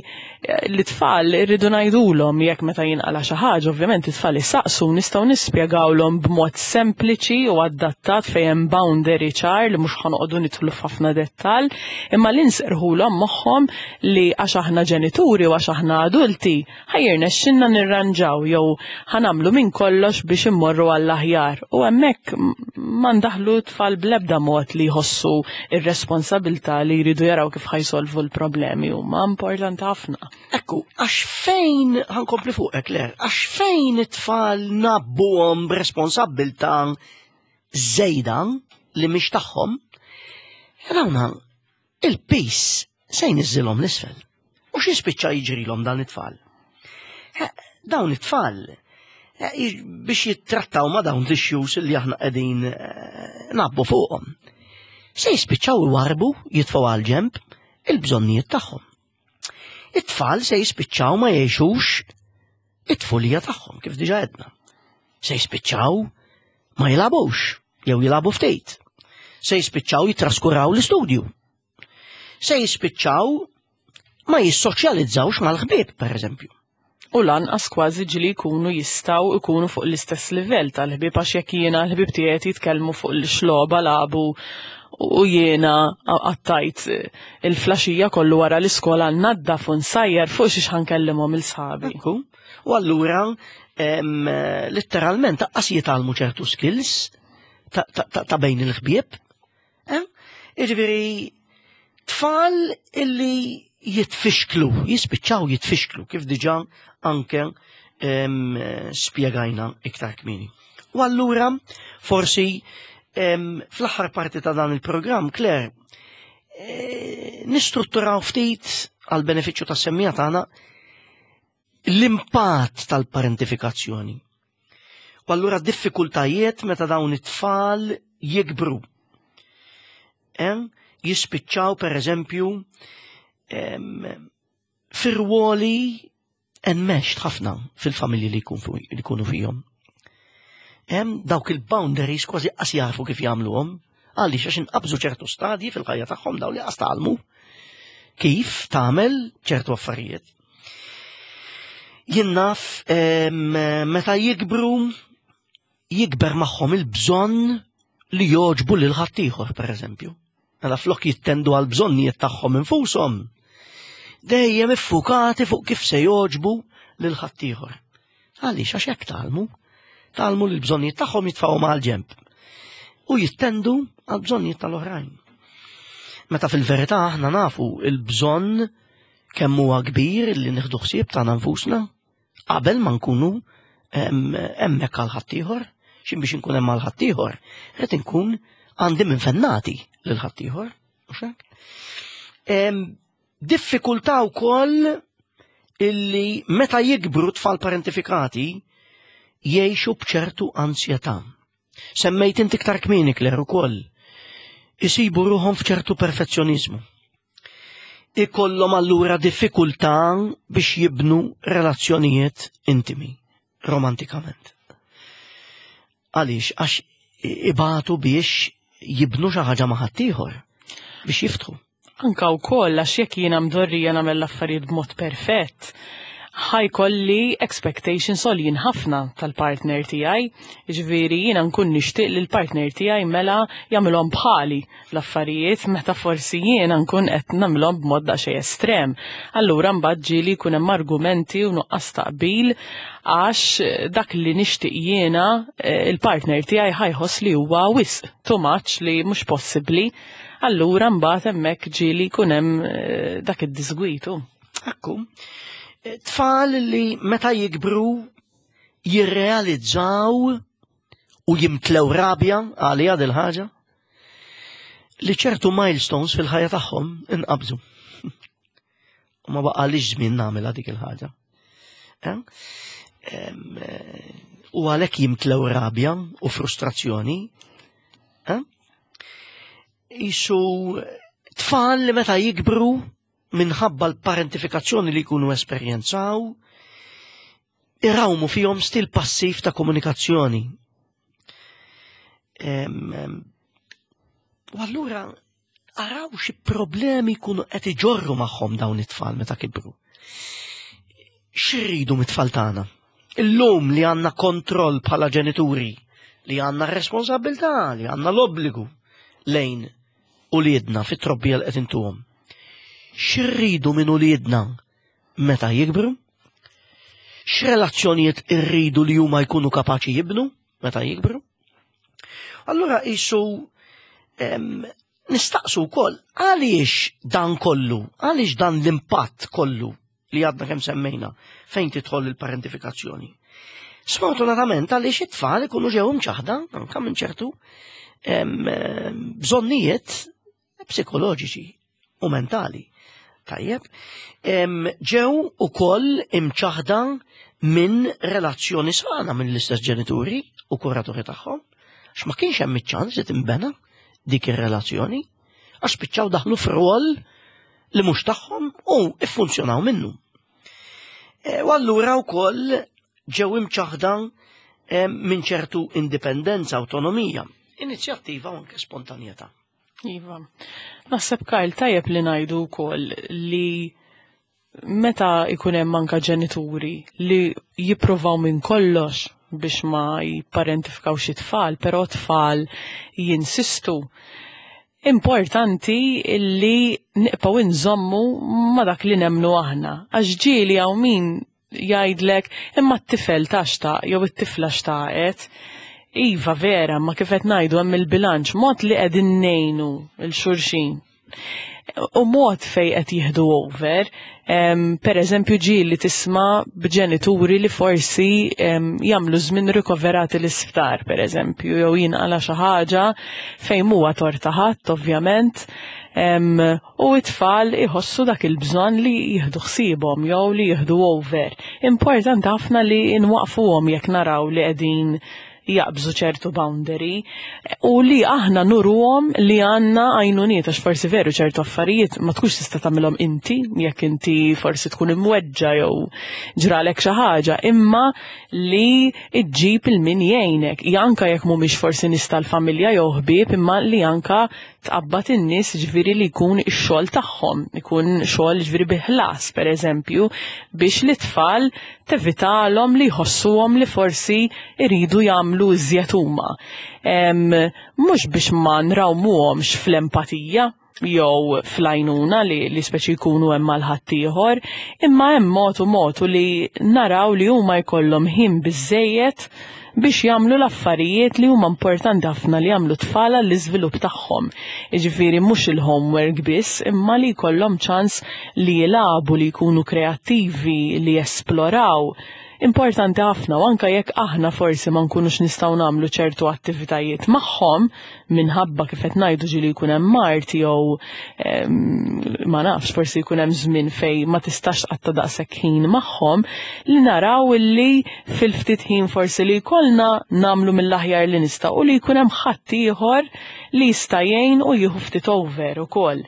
l-tfal irridu ngħidulhom jekk meta jinqala xi ħaġa, ovvjament it-tfal isaqsu nistgħu nispjegawlhom b'mod sempliċi u adattat fejn hemm boundary ċar li mhux ħanoqogħdu nidħlu f'ħafna dettall, imma li nserħulhom moħħhom li għax aħna ġenituri u għax aħna adulti ħa jirnexxilna nirranġaw jew ħa nagħmlu minn kollox biex immorru għall-aħjar u hemmhekk ma ndaħħlu t-tfal bl-ebda mod li jħossu r-responsabilità li jridu jaraw kif ħa jsolvu l-problemi huma importanti ħafna. Ekku, għax fejn, ħankompli fuqek, Claire, għax fejn it-tfal nabbuhom b'responsabbiltà żejda li mhix tagħhom, dawna il-piż se jniżżilhom l-isfel. U x'jispiċċa jiġrilhom dan it-tfal? Dawn it-tfal eh, biex jittrattaw ma' dawn l-issues li aħna qegħdin eh, nabbu fuqhom. Se jispiċċaw iwarbu jitfgħu għal ġemp il-bżonnijiet tagħhom. It-tfal se jispiċċaw ma jgħixux it-tfulija tagħhom kif diġa għedna. Se jispiċċaw ma jilagħbux jew jilagħbu ftit. Se jispiċċaw jitraskuraw l-istudju. Se jispiċċaw ma jissoċjalizzawx mal-ħbieb, per eżempju. U lanqas kważi ġili jkunu jistgħu jkunu fuq l-istess livell tal-ħbieb għax jekk jiena l-ħbieb tiegħi jitkellmu fuq l-xlogħba lagħbu u jiena qattajt il-flaxija kollu wara l-iskola nnaddaf u nsajjar fuq xiex ħankellimhom il-sħabi. U allura letteralment aqqas jitgħallmu ċertu skills ta' bejn il-ħbieb. Eh? Jiġifieri tfal illi jitfixklu, jispiċċaw jitfixklu kif diġà anke spjegajna iktar kmieni. U allura forsi fl-aħħar parti ta' dan il-programm, Claire, eh, nistrutturaw ftit għal benefiċċju tas-semmija tagħna l-impatt tal-parentifikazzjoni. U allura diffikultajiet meta dawn it-tfal jikbru. Jispiċċaw per eżempju fir-rwoli enmeshed ħafna fil-familji li jkunu fihom. Hemm dawk il-boundaries kważi qas jafu kif jagħmluhom, għaliex għax inqabżu ċertu stadji fil-ħajja tagħhom dawn li qas tgħallmu kif tagħmel ċertu affarijiet. Jien naf meta jikbru jikber magħhom il-bżonn li jogħġbu lil ħaddieħor, pereżempju. Mela flok jittendu għal bżonnijiet tagħhom infushom, dejjem iffukati fuq kif se jogħġbu lil ħaddieħor. Għaliex għax hekk tgħallmu. Tgħallmu li l-bżonnijiet tagħhom jitfgħuhom għal ġenb u jittendu għal bżonnijiet tal-oħrajn. Meta fil-verità aħna nafu il-bżonn kemm huwa kbir li nieħdu ħsieb tagħna nfusna qabel ma nkunu hemmhekk għal ħaddieħor, x'in biex inkun hemm għal ħaddieħor, qed inkun għandi minn fennati lil ħaddieħor, mhux hekk? Diffikultà wkoll illi meta jikbru tfal parentifikati jgħixu b'ċertu ansjetà. Semmejt inti iktar kmieni Claire ukoll. Isibu ruħhom f'ċertu perfezzjoniżmu. Ikollhom allura diffikultà biex jibnu relazzjonijiet intimi, romantikament. Għaliex, għax ibatu biex jibnu xi ħaġa ma' ħaddieħor biex jiftħu. Anka wkoll għax jekk jiena mdorrija nagħmel l-affarijiet b'mod perfett, ħajkolli expectations għoljin ħafna tal-partner tiegħi. Ġifieri jiena nkun nixtieq li l-partner tiegħi mela jagħmilhom bħali l-affarijiet meta forsi jiena nkun qed nagħmilhom b'mod daqsxejn estrem. Allura mbagħad ġieli jkun hemm argumenti u nuqqas taqbil għax dak li nixtieq jiena eh, il-partner tiegħi ħajħoss li huwa wisq too much li mhux possibbli. Allura mbagħad hemmhekk ġieli jkun hemm eh, dak id-disgwitu. Ekku. Eh, tfal li meta jikbru jirrealizzaw u jimtlew rabja għalija dil-ħaġa li ċertu milestones fil-ħajja tagħhom inqabżu. U ma baqalix żmien nagħmilha dik il-ħaġa. Eh? U għalhekk jimtlew rabja u frustrazzjoni. Eh? Isu tfal li meta jikbru minħabba l-parentifikazzjoni li jkunu esperjenzaw, irawmu fihom stil passiv ta' komunikazzjoni. U allura araw xi problemi jkunu qed iġorru magħhom dawn it-tfal meta kibru. X'irridu mit-tfal tagħna? Illum li għandna kontroll bħala ġenituri, li għandna responsabilità, li għandna l-obbligu lejn uliedna fit-trobbija li qed intuhom. X'irridu minn uliedna meta jikbru? X'relazzjonijiet irridu li huma jkunu kapaċi jibnu meta jikbru? Allura qisu nistaqsu wkoll għaliex dan kollu, għaliex dan l-impatt kollu li għadna kemm semmejna fejn tidħol il-parentifikazzjoni. Sfortunatament għaliex it-tfal ikunu ġew imċaħda anke minn ċertu bżonnijiet psikoloġiċi u mentali. Tajjeb, ġew ukoll imċaħda minn relazzjoni sana minn l-istess ġenituri u kuraturi tagħhom, għax ma kienx hemm iċ-ċans li tinbena dik ir-relazzjoni, għax spiċċaw daħlu f'rwol li mhux tagħhom u iffunzjonaw minnu. E, u allura wkoll ġew imċaħda e, minn ċertu indipendenza, autonomija, inizjattiva u anke spontanjetà. Iva. Naħseb Kyle tajjeb li ngħidu wkoll li meta ikun hemm anka ġenituri li jippruvaw minn kollox biex ma jipparentifikaw xi tfal, però tfal jinsistu. Importanti li nibqgħu nżommu ma dak li nemnu aħna. Għax ġieli hawn min jgħidlek imma t-tifel ta' xtaq jew it-tifla xtaqet. Iva vera, ma kif qed ngħidu hemm il-bilanċ mod li qegħdin ngħinu 'l xulxin. U mod fej qed jieħdu over, per eżempju ġieli tisma' b'ġenituri li forsi jagħmlu żmien rikoverati l-isptar, per eżempju, jew jinqala xi ħaġa fejn huwa tort ta' ħadd ovvjament, u it-tfal iħossu dak il-bżonn li jieħdu ħsiebhom jew li jieħdu over. Importanti ħafna li nwaqfuhom jekk naraw li qegħdin jaqbżu ċertu boundary u li aħna nuruhom li għandna għajnuniet għax forsi veru ċertu affarijiet ma tkunx tista' tagħmilhom inti jekk inti forsi tkun imweġġa jew ġralek xi ħaġa, imma li ġġib il-min jgħinek. Anka jekk mhumiex forsi nies tal-familja jew ħbieb, imma li anka tqabbad in-nies ġifieri li jkun ix-xogħol tagħhom, ikun xogħol ġifieri bi ħlas pereżempju, biex l-itfal tevitalhom li jħossuhom li forsi jridu jagħmlu iżjed huma. Mhux biex ma nrawmuhomx fl-empatija jew fl-għajnuna li speċi jkunu hemm għal ħaddieħor, imma hemm mod u mod u li naraw li huma jkollhom ħin biżżejjed biex jagħmlu l-affarijiet li huma importanti ħafna li jagħmlu tfal għall-iżvilupp tagħhom. Jiġifieri mhux il-homework biss, imma li jkollhom ċans li jilagħbu, li jkunu kreattivi, li jesploraw. Importanti ħafna u anke jekk aħna forsi ma nkunux nistgħu nagħmlu ċertu attivitajiet magħhom minħabba kif qed ngħidu ġieli jkun hemm mard jew ma nafx forsi jkun hemm żmien fejn ma tistax tqatta' daqshekk ħin magħhom, li naraw illi fil-ftit ħin forsi li jkollna nagħmlu mill-aħjar li nistgħu u li jkun hemm ħadd ieħor li jista' jgħin u jieħu ftit over ukoll.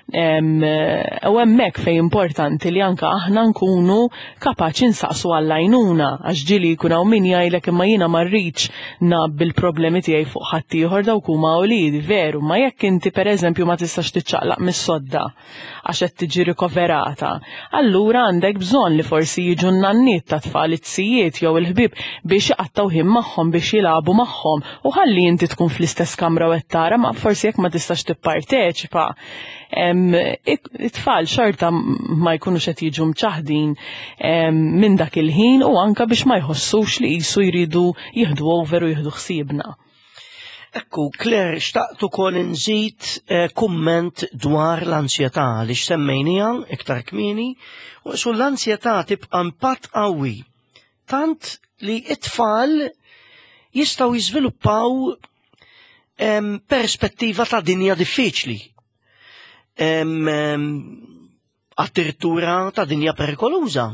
U hemmhekk fejn importanti li anka aħna nkunu kapaċi nsaqsu għall-għajnuna, għax ġieli jkun hawn min jgħidlek imma jiena ma rridx ngħabbi l-problemi tiegħi fuq ħaddieħor dawk huma uliedi, veru, ma jekk inti pereżempju ma tistax tiċċaqlaq mis-sodda għax qed tiġi rikoverata, allura għandek bżonn li forsi jiġu n-nanniet ta' tfal, it-sijiet jew il-ħbieb biex iqattgħu ħin magħhom, biex jilagħbu magħhom, u ħalli inti tkun fl-istess kamra u qed tara, ma forsi jekk ma tistax tipparteċipa, it-tfal xorta ma jkunux qed jiġu mċaħdin minn dak il-ħin u anka biex ma jħossux li qisu jridu jieħdu over u jieħdu ħsiebna. Ekku, Claire, xtaqt ukoll inżid kumment dwar l-ansjetà li xsemmejnija iktar kmieni, u su l-ansjetà tibqa' impatt qawwi tant li it-tfal jistgħu jiżviluppaw perspettiva ta' dinja diffiċli. Addirittura ta' dinja perikoluża.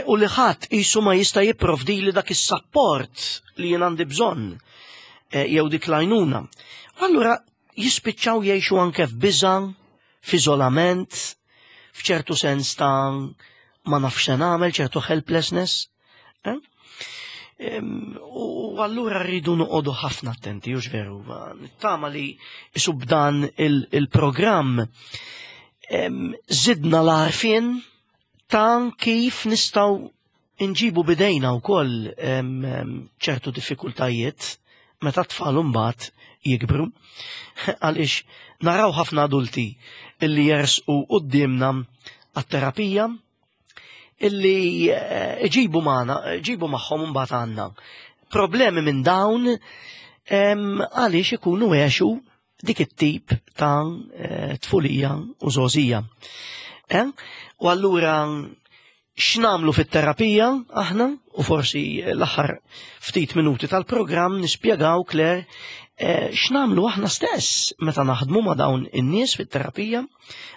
U li ħadd qisu ma jista' jipprovdili dak is-sapport li jien għandi bżonn, jew dik l-għajnuna. Allura jispiċċaw jgħixu anke f'biża', f'iżolament, f'ċertu sens ta' ma nafx se nagħmel, ċertu helplessness. U allura rridu noqogħdu ħafna attenti, hux veru. Nittama li isu b'dan il-programm żidna l-għarfien ta' kif nistgħu nġibu bidejna wkoll ċertu diffikultajiet meta t-tfal imbagħad jikbru. Għaliex naraw ħafna adulti illi jersqu quddiemna għat-terapija illi iġibu magħna, iġibu magħhom imbagħad għandna problemi minn dawn għaliex ikunu għexu dik it-tip ta' tfulija u żgħożija. U allura x'nagħmlu fit-terapija aħna, u forsi l-aħħar ftit minuti tal-programm nispjegaw, Claire, x'nagħmlu aħna stess meta naħdmu ma' dawn in-nies fit-terapija,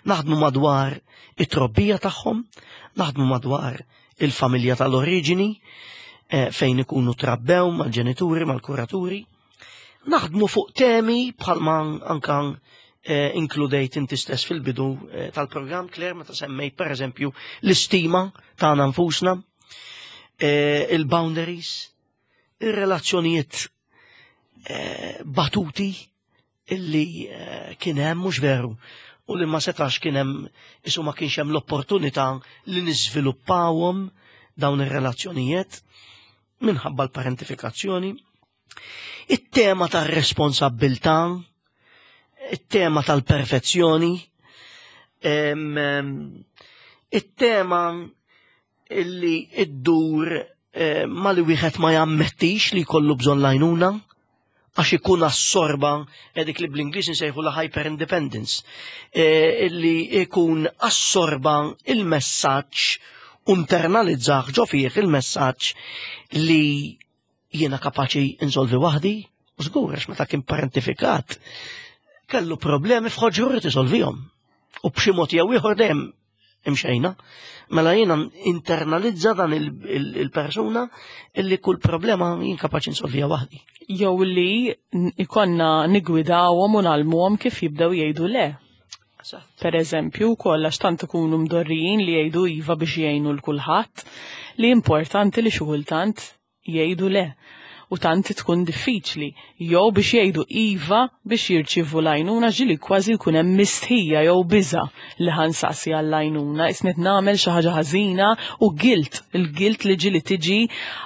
naħdmu madwar it-trobbija tagħhom, naħdmu madwar il-familja tal-oriġini, fejn ikunu trabbew mal-ġenituri, mal-kuraturi, naħdmu fuq temi bħalma anka inkludejt inti stess fil-bidu tal-programm, Claire, meta semmejt per eżempju l-istima tagħna nfusna, il-boundaries, ir-relazzjonijiet batuti illi kien hemm, mhux veru, u li ma setax kien hemm, isu ma kienx hemm l-opportunità li niżviluppawhom dawn ir-relazzjonijiet minħabba l-parentifikazzjoni. It-tema tar-responsabbiltà, it-tema tal-perfezzjoni, it-tema illi iddur ma li wieħed ma jammettix li jkollu bżonn l-għajnuna, għax ikun assorba dik li bl-Ingliż insejħu la hyper independence, illi ikun assorba il-messaġġ u internalizzah ġo fih il-messaġġ li jiena kapaċi insolvi waħdi, u żgur għax meta kien parentifikat kellu problemi f'ħoġru irid isolvihom. U b'xi mod jew ieħor dejjem Imxejna. Mela jiena internalizza dan il-persuna illi kull problema jien kapaċi nsolvija waħdi. Jew li ikonna nigwidawhom u nagħlmuhom kif jibdew jgħidu le. Per eżempju, wkoll għax tant ikunu mdorrijin li jgħidu iva biex jgħinu l kulħadd, li importanti li xi kultant jgħidu le. U tant tkun diffiċli. Jew biex jgħidu iva biex jirċievu l-għajnuna ġieli kważi jkun hemm mistħija jew biża' li ħa nsaqsi għall-għajnuna, isni qed nagħmel xi ħaġa ħażina u guilt, il-guilt li ġieli tiġi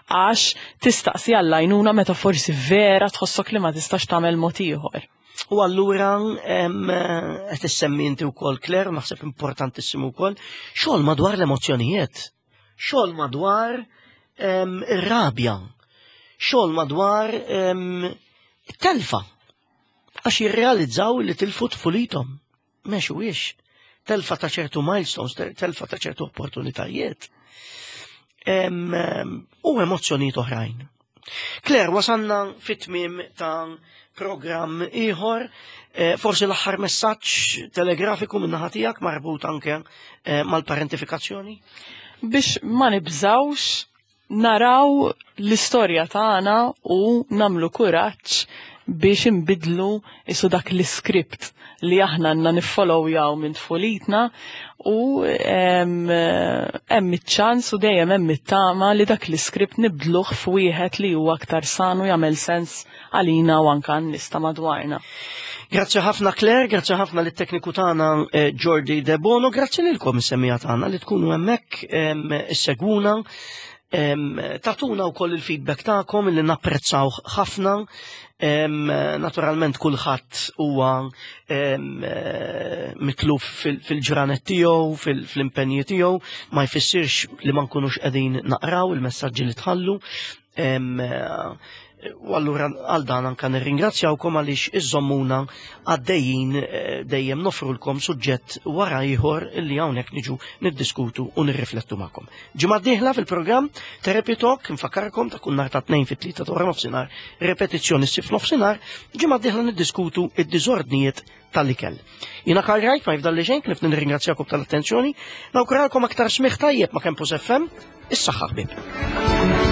għax tistaqsi għall-għajnuna meta forsi vera tħossok li ma tistax tagħmel mod ieħor. U allura qed issemmi inti wkoll Claire, naħseb importantissimu wkoll, xogħol madwar l-emozzjonijiet, xogħol madwar ir-rabja, xogħol madwar it-telfa. Għax jirrealizzaw li tilfu tfulithom. Mexu ix. Telfa ta' ċertu milestones, telfa ta' ċertu opportunitajiet. U emozzjonijiet oħrajn. Claire, wasanna fit-tmiem ta' programm ieħor, forsi l-aħħar messaġġ telegrafiku minn naħa tiegħek marbut anke mal-parentifikazzjoni? Biex ma nibżawx naraw l-istorja tagħna u nagħmlu kuraġġ biex inbidlu isu dak l-iskript li aħna għandna niffollowjaw minn tfulitna u hemm iċ-ċans u dejjem hemm it-tama li dak l-iskript nibdluh f'wieħed li huwa aktar sanu jagħmel sens għalina u anke għan-nies ta' madwarna. Grazzi ħafna Claire, grazzi ħafna lit tekniku tagħna Jordi De Bono, grazzi lilkom is-semmiegħa tagħna li tkunu hemmhekk issegwuna, tagħtuna wkoll il-feedback tagħkom li napprezzaw ħafna. Naturalment kulħadd huwa mitluf fil-ġranet tiegħu, fil-impenji tiegħu, ma jfissirx li ma nkunux qegħdin naqraw il-messaġġi li tħallu. U allura għal dan anka nirringrazzjawkom għaliex iżommuna għaddejjin dejjem nofrulkom suġġett wara ieħor li hawnhekk niġu niddiskutu u nirriflettu magħkom. Ġimgħa d-dieħla fil-programm Therapy Talk, nfakkarkom ta' kull nhar ta' tnejn fit-tlieta ta' wara nofsinhar, repetizzjoni ssir f'nofsinhar, ġimgħa d-dieħla niddiskutu id-diżordnijiet tal-ikel. Jiena Karl Wright, ma jifdalli xejn, ħlief nirringrazzjakom tal-attenzjoni, nawguralkom aktar smigħ tajjeb ma' Campus FM, is-saħħa ħbieb.